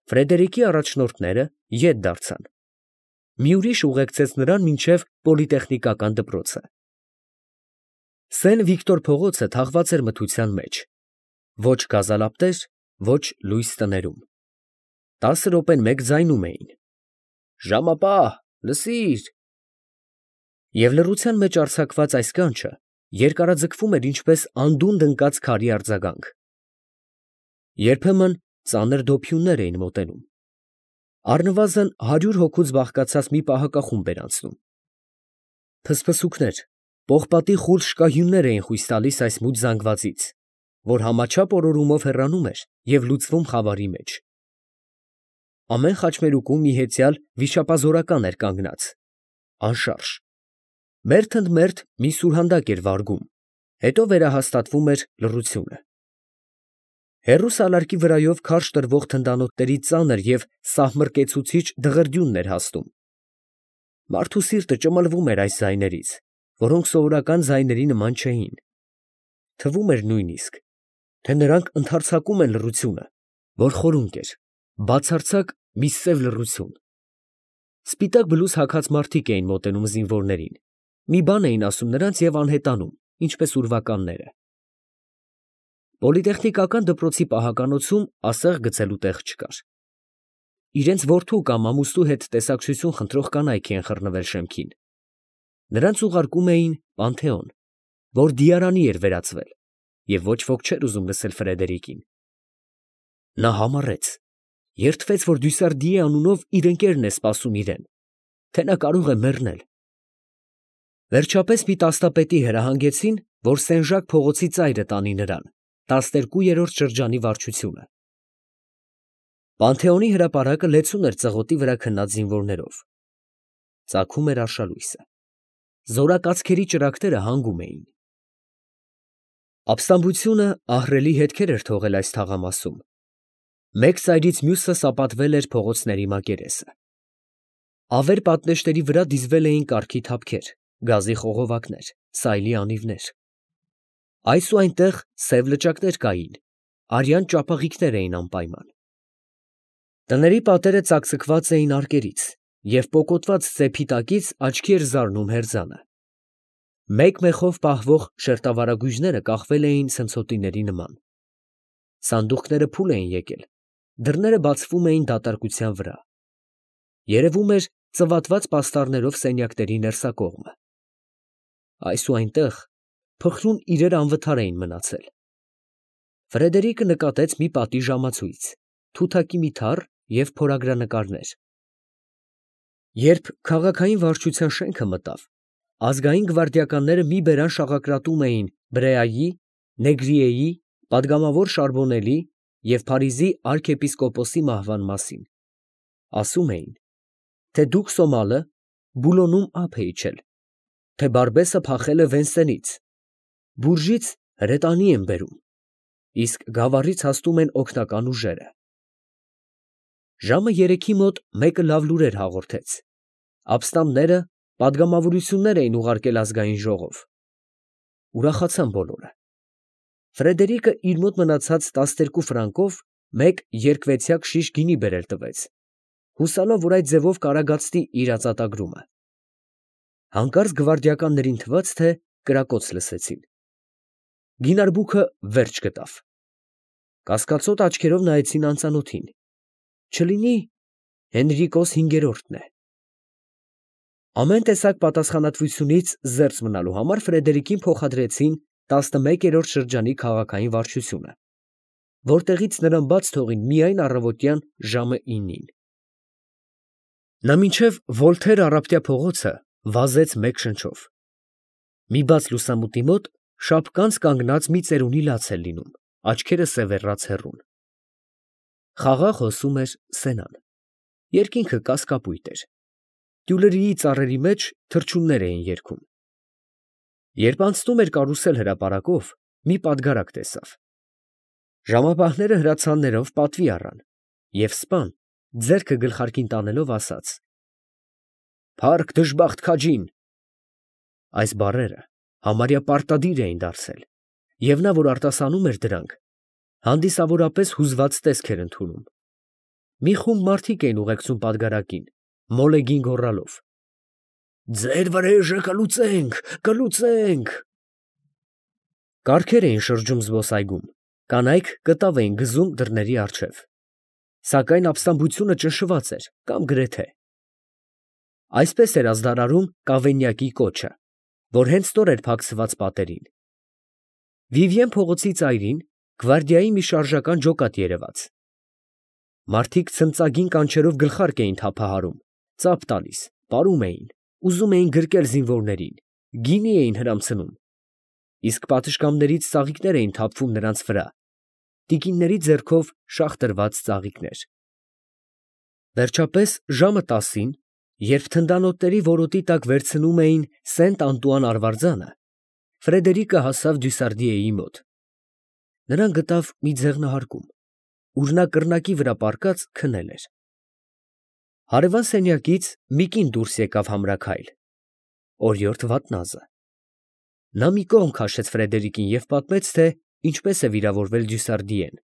Ֆրեդերիկի առաջնորդները ետ դարձան։ Մի ուրիշ ուղեկցեց նրան մինչև պոլիտեխնիկական դպրոցը։ Սեն Վիկտոր փողոցը թաղված էր մթության մեջ, ոչ գազալապտեր, ոչ լույս տներում։ 10 րոպեն մեկ ձայնում էին. «Ժամապահ, լսիր»։ Եվ լռության մեջ արձակված այս կանչը երկարաձգվում էր ինչպես անդունդը ընկած քարի արձագանք։ Երբեմն ծանր դոփյուններ էին մոտենում։ Առնվազն 100 հոգուց բաղկացած մի պահակախումբ էր անցնում։ Փսփսուկներ, պողպատի խուլ շկահյուններ էին խույս տալիս այս մութ զանգվածից, որ համաչափ օրորումով հեռանում էր և լուծվում խավարի մեջ։ Ամեն խաչմերուկում մի հեծյալ վիշապազորական էր կանգնած, անշարժ։ Մերթ ընդ մերթ մի սուրհանդակ էր վարգում, հետո վերահաստատվում էր լռությունը։ Հեռու սալարկի վրայով քարշ տրվող թնդանոթների ծանր և սահմռկեցուցիչ դղրդյունն էր հասնում։ Մարդու սիրտը ճմլվում էր այս ձայներից, որոնք սովորական ձայների նման չէին։ Թվում էր նույնիսկ, թե նրանք ընդարձակում են լռությունը, որ խորունկ էր, բացարձակ մի սև լռություն։ Սպիտակ բլուզ հագած մարդիկ էին մոտենում զինվորներին, մի բան էին ասում նրանց և անհետանում, ինչպես ուրվականները։ Պոլիտեխնիկական դպրոցի պահականոցում ասեղ գցելու տեղ չկար։ Իրենց որդու կամ ամուսնու հետ տեսակցություն խնդրող կանայք էին խռնվել շեմքին։ Նրանց ուղարկում էին Պանթեոն, որ դիարանի էր վերածվել, և ոչ ոք չէր ուզում լսել Ֆրեդերիկին։ Նա համառեց, երդվեց, որ Դյուսարդիի անունով իր ընկերն է սպասում իրեն, թե նա կարող է մեռնել։ Վերջապես մի տասնապետի հրահանգեցին, որ Սեն֊Ժակ փողոցի ծայրը տանի նրան, 12-րդ շրջանի վարչությունը։ Պանթեոնի հրապարակը լեցուն էր ծղոտի վրա քնած զինվորներով։ Ծագում էր արշալույսը։ Զորակացքերի ճրագները հանգում էին։ Ապստամբությունը ահռելի հետքեր էր թողել այս թաղամասում։ Մեկ ծայրից մյուսը սապատվել էր փողոցների մակերեսը։ Ավեր պատնեշների վրա դիզվել էին կառքի թափքեր, գազի խողովակներ, սայլի անիվներ։ Այս ու այնտեղ սև լճակներ կային, արյան ճապաղիկներ էին անպայման։ Տների պատերը ծակծկված էին արկերից, և պոկոտված ծեփի տակից աչքի էր զարնում հերձանը։ Մեկ մեխով պահվող շերտավարագույժները կախվել էին ցնցոտիների նման։ Սանդուղքները փուլ էին եկել, դռները բացվում էին դատարկության վրա։ Երևում էր ծվատված պաստառներով սենյակների ներսակողմը։ Այս ու այնտեղ փխրուն իրեր անվթար էին մնացել։ Ֆրեդերիկը նկատեց մի պատի ժամացույց, թութակի մի թառ և փորագրանկարներ։ Երբ քաղաքային վարչության շենքը մտավ, ազգային գվարդիականները մի բերան շաղակրատում էին Բրեայի, Նեգրիեի, պատգամավոր Շարբոնելի և Փարիզի արքեպիսկոպոսի մահվան մասին։ Ասում էին, թե Դուք-Սոմալը Բուլոնում ափ է իջել, թե Բարբեսը փախել է Վենսենից, Բուրժից հրետանի են բերում, իսկ Գավառից հասնում են օգնական ուժերը։ Ժամը 3-ի մոտ մեկը լավ լուրեր հաղորդեց. ապստամբները պատգամավորություններ էին ուղարկել ազգային ժողով։ Ուրախացան բոլորը։ Ֆրեդերիկը իր մոտ մնացած 12 ֆրանկով մեկ երկվեցյակ շիշ գինի բերել տվեց, հուսալով, որ այդ ձևով կարագացնի իր ածատագրումը։ Հանկարծ գվարդիականներին թվաց, թե կրակոց լսեցին։ Գինարբուքը վերջ գտավ։ Կասկածոտ աչքերով նայեցին անծանոթին։ Չլինի Հենրիկոս հինգերորդն է։ Ամեն տեսակ պատասխանատվությունից զերծ մնալու համար Ֆրեդերիկին փոխադրեցին 11-րդ շրջանի քաղաքային վարչությունը, որտեղից նրան բաց թողին միայն առավոտյան ժամը 9-ին։ Նա մինչև Վոլթեր առապտյա փողոցը վազեց մեկ շնչով։ Մի բաց լուսամուտի մոտ շապկանց կանգնած մի ծերունի լաց էր լինում, աչքերը սևեռած հեռուն։ Խաղաղ հոսում էր Սենան։ Երկինքը կասկապույտ էր։ Տյուլերիի ծառերի մեջ թռչուններ էին երգում։ Երբ անցնում էր կարուսել հրապարակով, մի պատգարակ տեսավ։ Ժամապահները հրացաններով պատվի առան, և սպան, ձեռքը գլխարկին տանելով, ասաց. «Փառք դժբախտ քաջին»։ Այս բառերը համարյա պարտադիր էին դարձել, և նա, որ արտասանում էր դրանք, հանդիսավորապես հուզված տեսք էր ընդունում։ Մի խումբ մարդիկ էին ուղեկցում պատգարակին, մոլեգին գոռալով. «Ձեր վրեժը կլուծենք, կլուծենք»։ Կառքեր էին շրջում զբոսայգում, կանայք կտավ էին գզում դռների առջև, սակայն ապստամբությունը ճնշված էր կամ գրեթե։ Այսպես էր ազդարարում Կավենյակի կոչը, որ հենց նոր էր փակցված պատերին։ Վիվիեն փողոցի ծայրին գվարդիայի մի շարժական ջոկատ երևաց։ Մարդիկ ցնծագին կանչերով գլխարկ էին թափահարում, ծափ տալիս, պարում էին, ուզում էին գրկել զինվորներին, գինի էին հրամցնում, իսկ պատշգամբներից ծաղիկներ էին թափվում նրանց վրա, տիկինների ձեռքով շաղ ծաղիկներ։ Վերջապես ժամը 10-ին, երբ թնդանոթների որոտի տակ վերցնում էին Սենտ Անտուան արվարձանը, Ֆրեդերիկը հասավ Դյուսարդիեի մոտ։ Նրան գտավ մի ձեղնահարկում, ուր նա կռնակի վրա պառկած քնել էր։ Հարևան սենյակից մի կին դուրս եկավ համրաքայլ, օրիորդ Վատնազը։ Նա մի կողմ քաշեց Ֆրեդերիկին և պատմեց, թե ինչպես է վիրավորվել Դյուսարդիեն։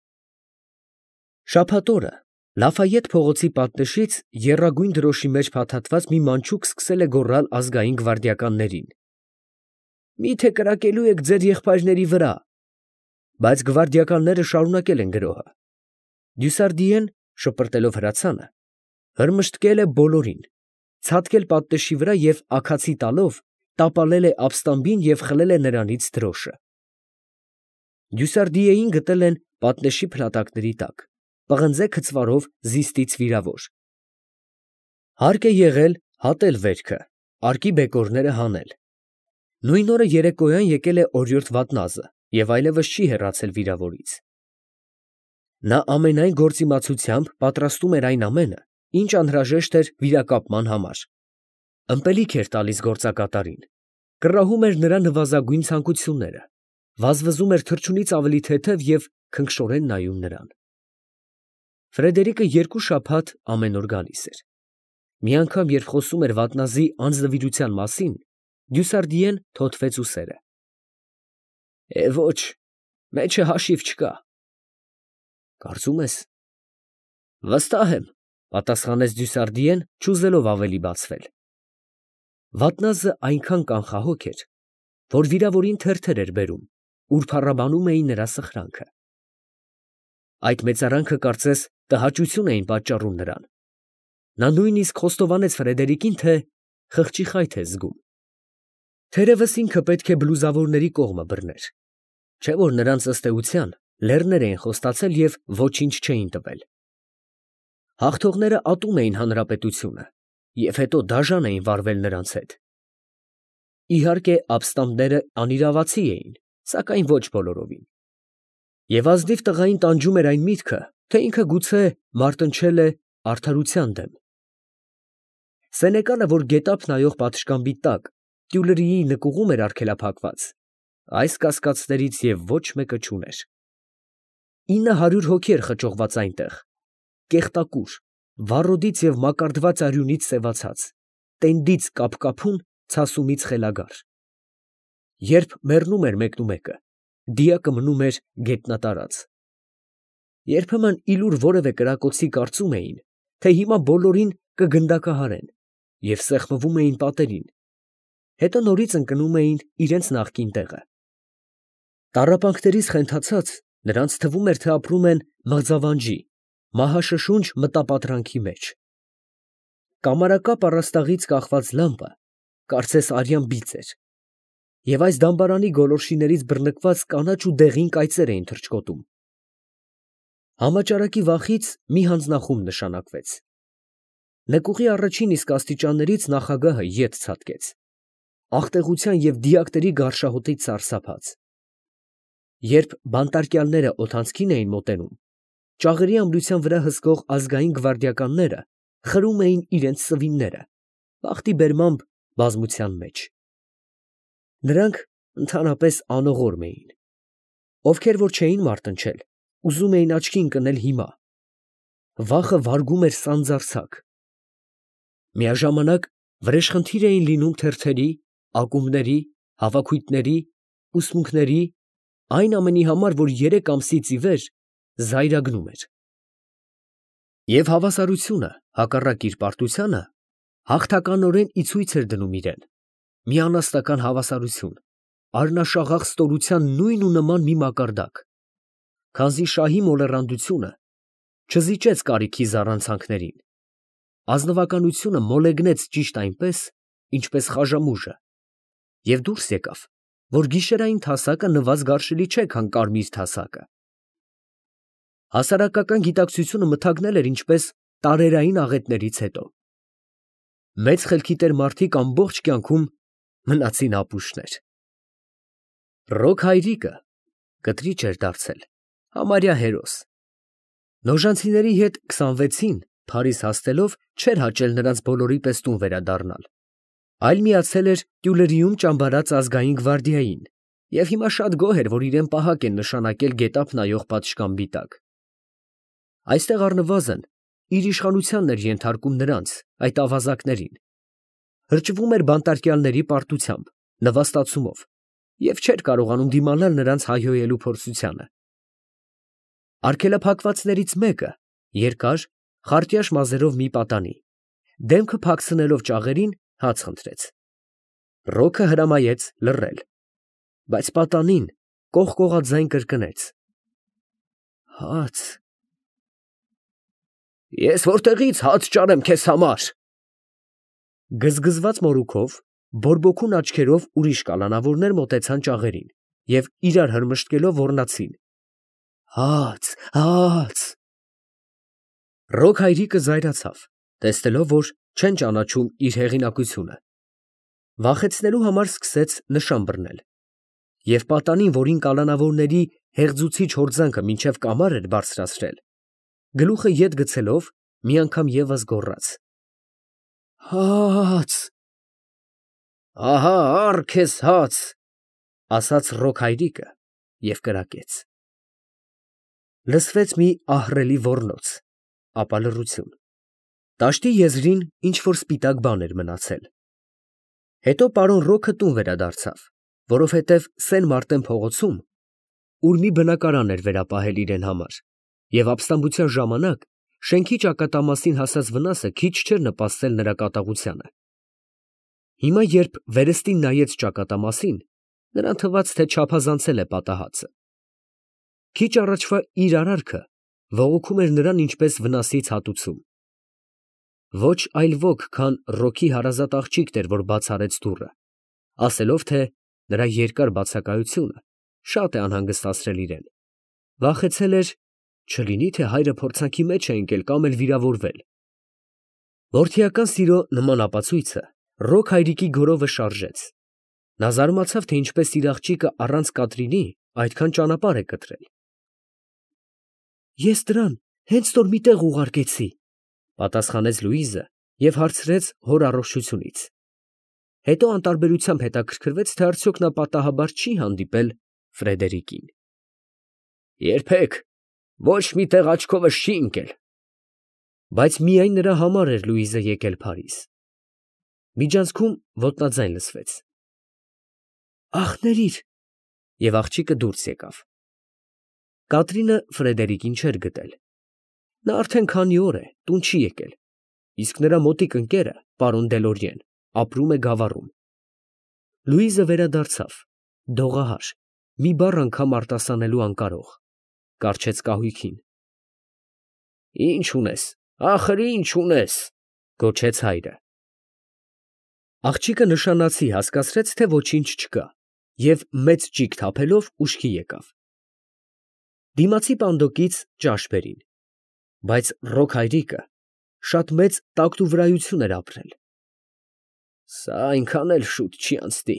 Շաբաթ օրը Լաֆայետ փողոցի պատնեշից եռագույն դրոշի մեջ փաթաթված մի մանչուկ սկսել է գոռալ ազգային գվարդիականներին. «Մի՞թե կրակելու եք ձեր եղբայրների վրա»։ Բայց գվարդիականները շարունակել են գրոհը։ Դյուսարդիեն, շպրտելով հրացանը, հրմշտկել է բոլորին, ցատկել պատնեշի վրա և աքացի տալով տապալել է ապստամբին և խլել է նրանից դրոշը։ Դյուսարդիեին գտել են պատնեշի փլատակների տակ, պղնձե քծվարով զիստից վիրավոր։ Հարկ է եղել հատել վերքը, արկի բեկորները հանել։ Նույն օրը երեկոյան եկել է օրիորդ Վատնազը և այլևս չի հեռացել վիրավորից։ Նա ամենայն գործիմացությամբ պատրաստում էր այն ամենը, ինչ անհրաժեշտ էր վիրակապման համար։ Ըմպելիք էր տալիս գործակատարին, կռահում էր նրա նվազագույն ցանկությունները, վազվզում էր թռչունից ավելի թեթև և քնքշորեն նայում նրան։ Ֆրեդերիկը 2 շաբաթ ամեն օր գալիս էր։ Մի անգամ, երբ խոսում էր Վատնազի անձնվիրության մասին, Դյուսարդիեն թոթվեց ուսերը։ Ոչ, մեջը հաշիվ չկա։ Կարծում ես։ Վստահ եմ, պատասխանեց Դյուսարդիեն, չուզելով ավելի բացվել։ Վատնազը այնքան կանխահոգ էր, որ վիրավորին թերթեր էր բերում, ուր փառաբանում էին նրա սխրանքը։ Այդ մեծարանքը կարծես տհաճություն էին պատճառում նրան։ Նա նույնիսկ խոստովանեց Ֆրեդերիկին, թե խղճի խայթ է զգում։ Թերևս ինքը պետք է բլուզավորների կողմը բռներ, չէ՞ որ նրանց ըստ էության լեռներ էին խոստացել և ոչինչ չէին տվել։ Հաղթողները ատում էին հանրապետությունը և հետո դաժան էին վարվել նրանց հետ։ Իհարկե, ապստամբները անիրավացի էին, սակայն ոչ բոլորովին։ Եվ ազնիվ տղային տանջում էր այն միտքը, թե ինքը գուցե մարտնչել է արդարության դեմ։ Սենեկալը, որ գետափ նայող պատշգամբի տակ տյուլրիի նկուղում էր արգելափակված, այս կասկածներից և ոչ մեկը չուներ։ 900 հոգի էր խճողված այնտեղ, կեղտակուր, վառոդից և մակարդված արյունից սևացած, տենդից կապկապուն, ցասումից խելագար։ Երբ մեռնում էր մեկնումեկը, դիակը մնում էր գետնատարած։ Երբեմն ի լուր որևէ կրակոցի կարծում էին, թե հիմա բոլորին կգնդակահարեն և սեղմվում էին պատերին, հետո նորից ընկնում էին իրենց նախկին տեղը։ Տառապանքներից խենթացած, նրանց թվում էր, թե ապրում են մղձավանջի, մահաշշունչ մտապատրանքի մեջ։ Կամարակապ առաստաղից կախված լամպը կարծես արյան բիծ էր, և այս դամբարանի գոլորշիներից բռնկված կանաչ ու դեղին կայծեր էին թռչկոտում։ Համաճարակի վախից մի հանձնախումբ նշանակվեց։ Նկուղի առաջին իսկ աստիճաններից նախագահը ետ ցատկեց, աղտեղության և դիակների գարշահոտից սարսափած։ Երբ բանտարկյալները օդանցքին էին մոտենում, ճաղերի ամրության վրա հսկող ազգային գվարդիականները խրում էին իրենց սվինները, բախտի բերմամբ բազմության մեջ։ Նրանք ընդհանրապես անողորմ էին։ Ովքեր որ չէին մարտնչել, ուզում էին աչքի ընկնել հիմա։ Վախը վարգում էր սանձարձակ։ Միաժամանակ վրեժխնդիր էին լինում թերթերի, ակումբների, հավաքույթների, ուսմունքների, այն ամենի համար, որ 3 ամսից ի վեր զայրագնում էր։ Եվ հավասարությունը, հակառակ իր պարտությանը, հաղթականորեն ի ցույց էր դնում իրեն, մի անաստական հավասարություն, արնաշաղախ ստորության նույն ու նման մի մակարդակ, քանզի շահի մոլեռանդությունը չզիջեց կարիքի զառանցանքներին, ազնվականությունը մոլեգնեց ճիշտ այնպես, ինչպես խաժամուժը, և դուրս եկավ, որ գիշերային թասակը նվազ գարշելի չէ, քան կարմիր թասակը։ Հասարակական գիտակցությունը մթագնել էր ինչպես տարերային աղետներից հետո։ Մեծ խելքի տեր մարդիկ ամբողջ կյանքում մնացին ապուշներ։ Ռոք հայրիկը կտրիչ էր դարձել, համարյա հերոս։ Նոժանցիների հետ 26-ին Փարիզ հասնելով չէր հաճել նրանց բոլորի պես տուն վերադառնալ, այլ միացել էր Տյուլերիում ճամբարած ազգային գվարդիային և հիմա շատ գոհ էր, որ իրեն պահակ են նշանակել գետափ նայող պատշգամբի տակ։ Այստեղ առնվազն իր իշխանությանն էր ենթարկում նրանց, այդ ավազակներին, հրճվում էր բանտարկյալների պարտությամբ, նվաստացումով և չէր կարողանում դիմանալ նրանց հայհոյելու փորձությանը։ Արգելափակվածներից մեկը երկար, խարտյաշ մազերով մի պատանի, դեմքը փակցնելով ճաղերին, հաց խնդրեց։ Ռոքը հրամայեց լռել, բայց պատանին կողկողաձայն կրկնեց. «Հաց»։ «Ես որտեղից հաց ճարեմ քեզ համար»։ Գզգզված մորուքով, բորբոքուն աչքերով ուրիշ կալանավորներ մոտեցան ճաղերին և իրար հրմշտկելով ոռնացին. «Հաց, հաց»։ Ռոք հայրիկը զայրացավ, տեսնելով, որ չեն ճանաչում իր հեղինակությունը, վախեցնելու համար սկսեց նշան բռնել և պատանին, որին կալանավորների հեղձուցիչ հորձանքը մինչև կամար էր բարձրացրել, գլուխը ետ գցելով մի անգամ ևս գոռաց. «Հաց»։ «Ահա առ քեզ հաց», ասաց Ռոք հայրիկը և կրակեց։ Լսվեց մի ահռելի ոռնոց, ապա լռություն։ Տաշտի եզրին ինչ֊որ սպիտակ բան էր մնացել։ Հետո պարոն Ռոքը տուն վերադարձավ, որովհետև Սեն Մարտեն փողոցում, ուր մի բնակարան էր վերապահել իրեն համար, և ապստամբության ժամանակ շենքի ճակատամասին հասած վնասը քիչ չէր նպաստել նրա կատաղությանը։ Հիմա, երբ վերստին նայեց ճակատամասին, նրան թվաց, թե չափազանցել է պատահածը։ Քիչ առաջվա իր արարքը բողոքում էր նրան ինչպես վնասից հատուցում։ Ոչ այլ ոք, քան Ռոքի հարազատ աղջիկն էր, որ բաց արեց դուռը, ասելով, թե նրա երկար բացակայությունը շատ է անհանգստացրել իրեն, վախեցել էր, չլինի թե հայրը փորձանքի մեջ է ընկել կամ էլ վիրավորվել։ Որդիական սիրո նման ապացույցը Ռոք հայրիկի գորովը շարժեց։ Նա զարմացավ, թե ինչպես իր աղջիկը առանց Կատրինի այդքան ճանապարհ է կտրել։ «Ես դրան հենց նոր մի տեղ ուղարկեցի», պատասխանեց Լուիզը և հարցրեց հոր առողջությունից։ Հետո անտարբերությամբ հետաքրքրվեց, թե արդյոք նա պատահաբար չի հանդիպել Ֆրեդերիկին։ «Երբեք ոչ մի տեղ աչքովս չի ընկել»։ Բայց միայն նրա համար էր Լուիզը եկել Փարիզ։ Միջանցքում ոտնաձայն լսվեց. «Աղ, ներիր», և աղջիկը դուրս եկավ։ Կատրինը Ֆրեդերիկին չէր գտել։ Նա արդեն քանի օր է տուն չի եկել, իսկ նրա մոտիկ ընկերը, պարոն Դելորիեն, ապրում է Գավառում։ Լուիզը վերադարձավ, դողահար, մի բառ անգամ արտասանելու անկարող, կառչեց կահույքին։ «Ի՞նչ ունես, ախր ի՞նչ ունես», գոչեց հայրը։ Աղջիկը նշանացի հասկացրեց, թե ոչինչ չկա, և մեծ ճիգ թափելով ուշքի եկավ։ Դիմացի պանդոկից ճաշ բերին, բայց Ռոք հայրիկը շատ մեծ տակտուվրայություն էր ապրել։ «Սա այնքան էլ շուտ չի անցնի»։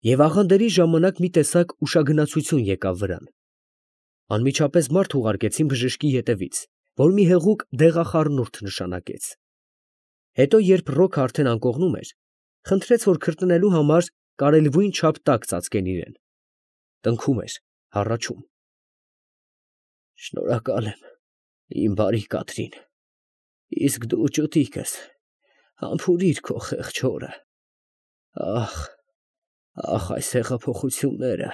Եվ աղանդերի ժամանակ մի տեսակ ուշագնացություն եկավ վրան։ Անմիջապես մարդ ուղարկեցին բժշկի ետևից, որ մի հեղուկ դեղախառնուրդ նշանակեց։ Հետո, երբ Ռոքը արդեն անկողնում էր, խնդրեց, որ քրտնելու համար կարելվույն չափ տաք ծածկեն իրեն։ Տնքում էր, հառաչում։ «Շնորհակալ եմ, իմ բարի Կատրին, իսկ դու ճուտիկս համբուրիր քո խեղճ հորը։ Ախ, ախ, այս հեղափոխությունները»։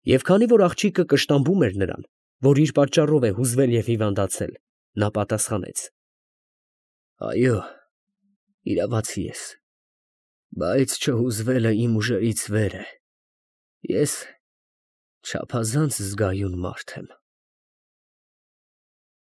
Եվ քանի որ աղջիկը կշտամբում էր նրան, որ իր պատճառով է հուզվել և հիվանդացել, նա պատասխանեց. «Այո, իրավացի ես, բայց չհուզվելը իմ ուժերից վեր է, ես չափազանց զգայուն մարդ եմ»։